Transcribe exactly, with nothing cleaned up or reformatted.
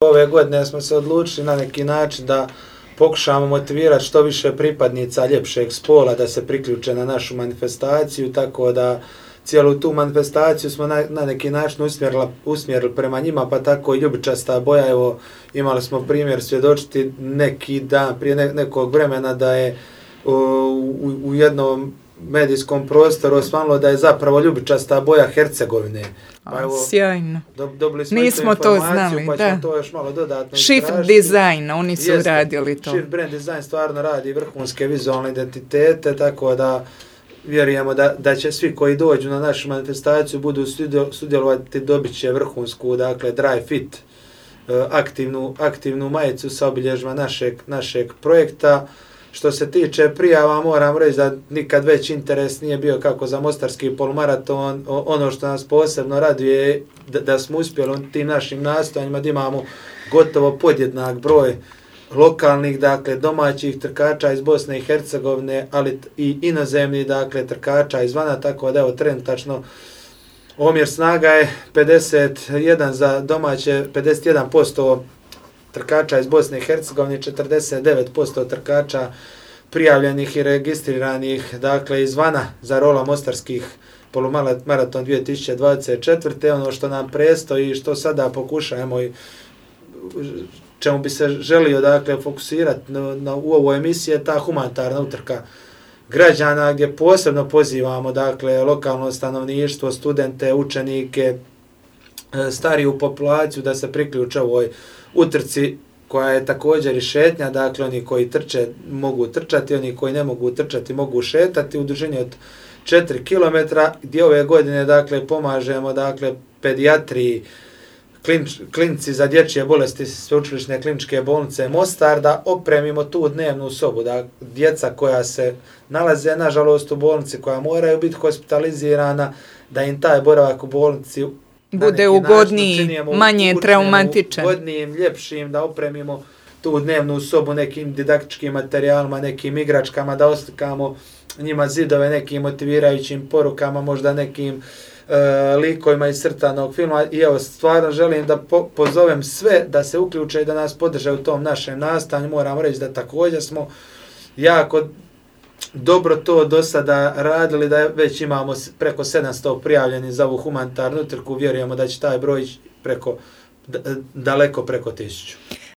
Ove godine smo se odlučili na neki način da pokušamo motivirati što više pripadnica ljepšeg spola da se priključe na našu manifestaciju, tako da cijelu tu manifestaciju smo na, na neki način usmjerili, usmjerili prema njima, pa tako i ljubičasta boja. Evo, imali smo primjer svjedočiti neki dan, prije ne, nekog vremena da je u, u, u jednom medijskom prostoru osvanilo da je zapravo ljubičasta boja Hercegovine. Pa evo, sjajno. Do, dobili smo Nismo to znali, pa da. ćemo to još malo dodatno Shift istražiti. Design, oni su Jeste, radili to. Shift Brand Design stvarno radi vrhunske vizualne identitete, tako da vjerujemo da, da će svi koji dođu na našu manifestaciju budu sudjelovati, dobit će vrhunsku, dakle, dry fit, aktivnu, aktivnu majicu sa obilježima našeg, našeg projekta. Što se tiče prijava, moram reći da nikad već interes nije bio kako za mostarski polumaraton. Ono što nas posebno raduje je da, da smo uspjeli u tim našim nastojanjima da imamo gotovo podjednak broj lokalnih, dakle domaćih trkača iz Bosne i Hercegovine, ali i inozemnih, dakle trkača izvana, tako da evo trenutačno omjer snaga je pedeset jedan za domaće, pedeset jedan posto trkača iz Bosne i Hercegovine, četrdeset devet posto trkača prijavljenih i registriranih, dakle izvana za rola mostarskih polumaraton dvije tisuće dvadeset četvrte. Ono što nam prestoji i što sada pokušajemo i čemu bi se želio, dakle, fokusirati na, na, u ovoj emisiji je ta humanitarna utrka građana, gdje posebno pozivamo, dakle, lokalno stanovništvo, studente, učenike, stariju populaciju da se priključe ovoj utrci koja je također i šetnja, dakle oni koji trče mogu trčati, oni koji ne mogu trčati mogu šetati u dužini od četiri kilometra, gdje ove godine, dakle, pomažemo, dakle, pedijatriji, klinč, klinici za dječje bolesti Sveučilišne kliničke bolnice Mostar da opremimo tu dnevnu sobu, da djeca koja se nalaze, nažalost, u bolnici, koja moraju biti hospitalizirana, da im taj boravak u bolnici bude ugodniji, manje traumatičan. Ugodnijim, ljepšim, da opremimo tu dnevnu sobu nekim didaktičkim materijalima, nekim igračkama, da oslikamo njima zidove nekim motivirajućim porukama, možda nekim e, likovima iz crtanog filma. I evo, stvarno želim da po, pozovem sve da se uključe i da nas podrže u tom našem nastanju. Moram reći da također smo jako dobro to do sada radili, da već imamo preko sedamsto prijavljeni za ovu humanitarnu utrku. Vjerujemo da će taj broj preko, daleko preko tisuću.